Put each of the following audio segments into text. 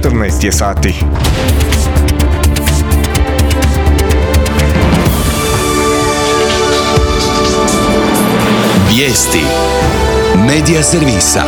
14 je sati. Vijesti Medija servisa.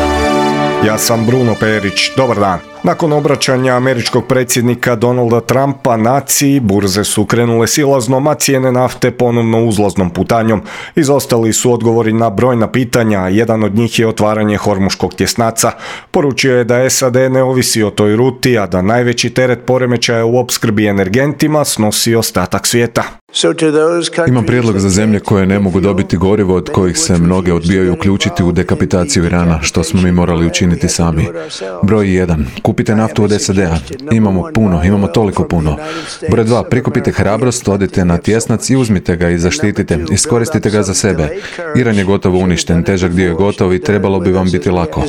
Ja sam Bruno Perić, dobar dan. Nakon obraćanja američkog predsjednika Donalda Trumpa naciji, burze su krenule silaznom, a cijene nafte ponovno uzlaznom putanjom. Izostali su odgovori na brojna pitanja, a jedan od njih je otvaranje Hormuškog tjesnaca. Poručio je da SAD ne ovisi o toj ruti, a da najveći teret poremećaja u opskrbi energentima snosi ostatak svijeta. Imam prijedlog za zemlje koje ne mogu dobiti gorivo, od kojih se mnoge odbijaju uključiti u dekapitaciju Irana, što smo mi morali učiniti sami. Broj 1. Kupite naftu od SAD-a. Imamo toliko puno. Broj 2. Prikupite hrabrost, odite na tjesnac i uzmite ga i zaštitite. Iskoristite ga za sebe. Iran je gotovo uništen, težak dio je gotov i trebalo bi vam biti lako.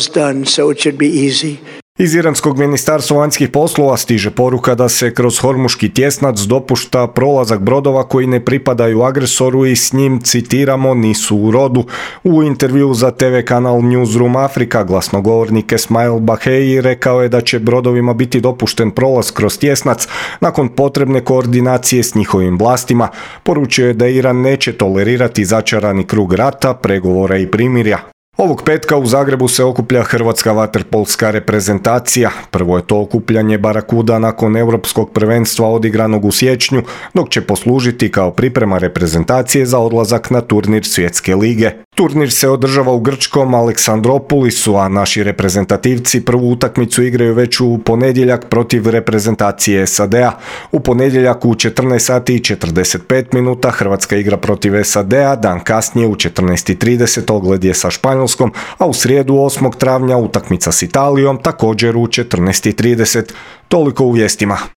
Iz iranskog ministarstva vanjskih poslova stiže poruka da se kroz Hormuški tjesnac dopušta prolazak brodova koji ne pripadaju agresoru i s njim, citiramo, nisu u rodu. U intervju za TV kanal Newsroom Afrika glasnogovornik Esmail Baheji rekao je da će brodovima biti dopušten prolaz kroz tjesnac nakon potrebne koordinacije s njihovim vlastima. Poručio je da Iran neće tolerirati začarani krug rata, pregovora i primirja. Ovog petka u Zagrebu se okuplja hrvatska vaterpolska reprezentacija. Prvo je to okupljanje Barakuda nakon europskog prvenstva odigranog u siječnju, dok će poslužiti kao priprema reprezentacije za odlazak na turnir Svjetske lige. Turnir se održava u grčkom Aleksandropolisu, a naši reprezentativci prvu utakmicu igraju već u ponedjeljak protiv reprezentacije SAD-a. U ponedjeljak u 14 sati i 45 minuta Hrvatska igra protiv SAD-a, dan kasnije u 14:30 ogled je sa Španjolskom, a u srijedu 8. travnja utakmica s Italijom također u 14:30. Toliko u vijestima.